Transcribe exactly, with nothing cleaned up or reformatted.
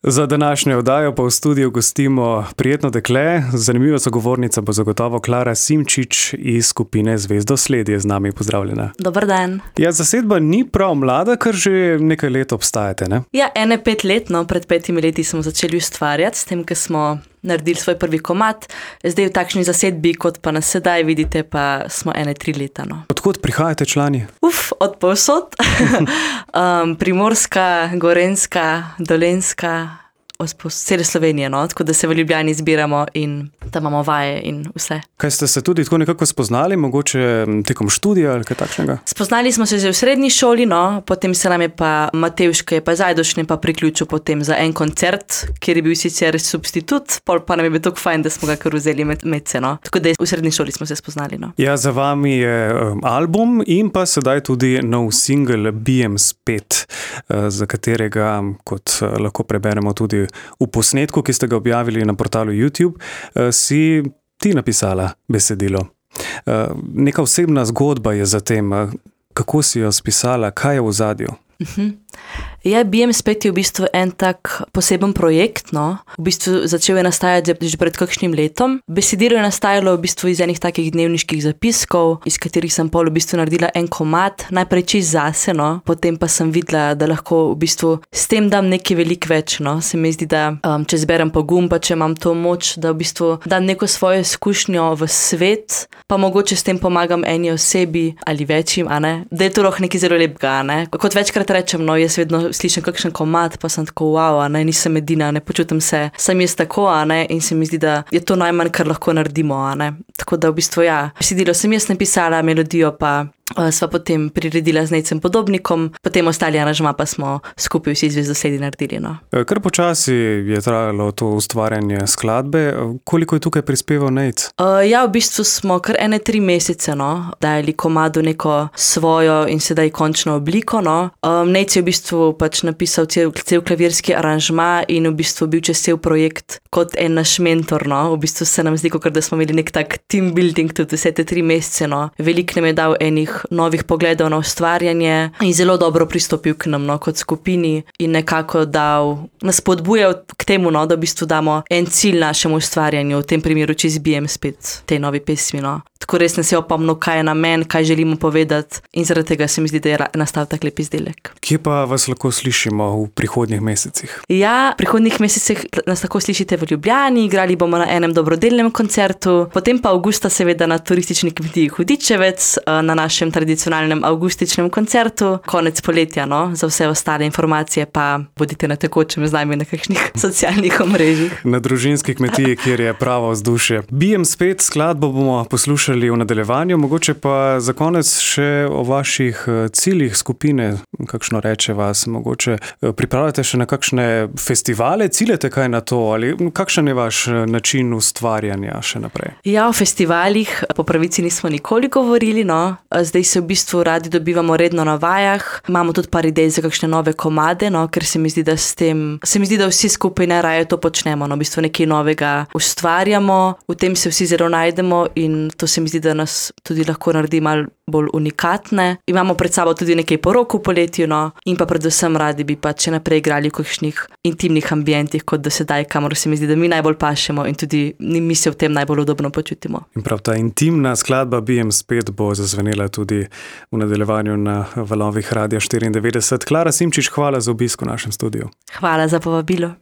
Za današnjo oddajo pa v studiu gostimo prijetno dekle. Zanimiva sogovornica bo zagotovo Klara Simčič iz skupine Zvezdosled je z nami. Pozdravljena. Dober dan. Ja, zasedba ni prav mlada, ker že nekaj let obstajate, ne? Ja, ene pet let, no, pred petimi leti smo začeli ustvarjati, s tem, ko smo naredili svoj prvi komad. Zdaj v takšni zasedbi, kot pa nas sedaj vidite, pa smo ene tri leta, no. Odkot prihajate člani? Uf, od povsod. um, Primorska, Gorenjska, Dolenjska, od cele Slovenije, no, tako da se v Ljubljani zbiramo in tam imamo vaje in vse. Kaj ste se tudi tako nekako spoznali, mogoče tekom študija ali kaj takšnega? Spoznali smo se že v srednji šoli, no, potem se nam je pa Matevško je pa Zajdošne pa priključil potem za en koncert, kjer je bil sicer substitut, pol pa nam je bil tako fajn, da smo ga kar vzeli med, med se, no. Tako da v srednji šoli smo se spoznali, no. Ja, za vami je um, album in pa sedaj tudi nov singel Bijem spet, uh, za katerega, kot uh, lahko preberemo tudi v posnetku, ki ste ga objavili na portalu YouTube, si ti napisala besedilo. Neka osebna zgodba je za tem. Kako si jo spisala? Kaj je v ozadju? Uh-huh. Ja, Bijem spet je v bistvu en tak poseben projekt, no. V bistvu začel je nastajati že pred kakšnim letom. Besedilo je nastajalo v bistvu iz enih takih dnevniških zapiskov, iz katerih sem pol v bistvu naredila en komad, najprej čist zase, no. Potem pa sem videla, da lahko v bistvu s tem dam nekaj veliko več, no. Se mi zdi, da um, če zberem pogum, pa če imam to moč, da v bistvu dam neko svojo izkušnjo v svet, pa mogoče s tem pomagam eni osebi ali večjim, a ne. Da je to lahko nekaj zelo lepega, ne. Kot večkrat rečem, no, jaz vedno slišim kakšen komad, pa sem tako, wow, a ne, nisem edina, ne počutim se, sem jaz tako, a ne, in se mi zdi, da je to najmanj, kar lahko naredimo, a ne. Tako da v bistvu, ja, besedilo sem jaz napisala, melodijo pa uh, sva potem priredila z Nejcem Podobnikom, potem ostali aranžma pa smo skupaj vsi Zvezdosledi naredili, no. Kar počasi je trajalo to ustvarjanje skladbe. Koliko je tukaj prispeval Nejc? Uh, ja, v bistvu smo kar ene tri mesece, no, dajali komadu neko svojo in sedaj končno obliko, no. Um, Nejc je v bistvu pač napisal cel, cel klavirski aranžma in v bistvu bil čez cel projekt kot en naš mentor, no. V bistvu se nam zdi, kot da smo imeli nek tak team building tudi vse te tri mesece, no. Veliko nam je dal enih novih pogledov na ustvarjanje in zelo dobro pristopil k nam, no, kot skupini in nekako dal, nas spodbujal k temu, no, da v bistvu damo en cilj našemu ustvarjanju, v tem primeru čez Bijem spet tej novi pesmi, no. Tako res nas je opomnil, kaj je namen, kaj želimo povedati in zaradi tega se mi zdi, da je nastal tak lep izdelek. Kje pa vas lahko slišimo v prihodnjih mesecih? Ja, v prihodnjih mesecih nas lahko slišite v Ljubljani, igrali bomo na enem dobrodelnem koncertu, potem pa avgusta seveda na turistični kmetiji Hudičevec, na našem tradicionalnem avgustičnem koncertu, konec poletja, no, za vse ostale informacije pa bodite na tekočem z nami na kakšnih socialnih omrežjih. Na družinski kmetiji, kjer je pravo vzdušje. Bijem spet, skladbo bomo poslušali v nadaljevanju, mogoče pa za konec še o vaših ciljih skupine, kakšno reče vas, mogoče pripravljate še na kakšne festivale, ciljate kaj na to ali kakšen je vaš način ustvarjanja še naprej? Ja, o festivalih po pravici nismo nikoli govorili, no, zdaj se v bistvu radi dobivamo redno na vajah, imamo tudi par idej za kakšne nove komade, no, ker se mi zdi, da s tem, se mi zdi, da vsi skupaj najraje to počnemo, no, v bistvu nekaj novega ustvarjamo, v tem se vsi zelo najdemo in to se mi zdi, da nas tudi lahko naredi malo bolj unikatne. Imamo pred sabo tudi nekaj porok v poletju, no, in pa predvsem radi bi pa če naprej igrali v kakšnih intimnih ambientih, kot do sedaj, kamor se mi zdi, da mi najbolj pašemo in tudi mi se v tem najbolj udobno počutimo. In prav ta intimna skladba Bijem spet bo zazvenela tudi v nadaljevanju na valovih Radia štiriindevetdeset. Klara Simčič, hvala za obisk v našem studiu. Hvala za povabilo.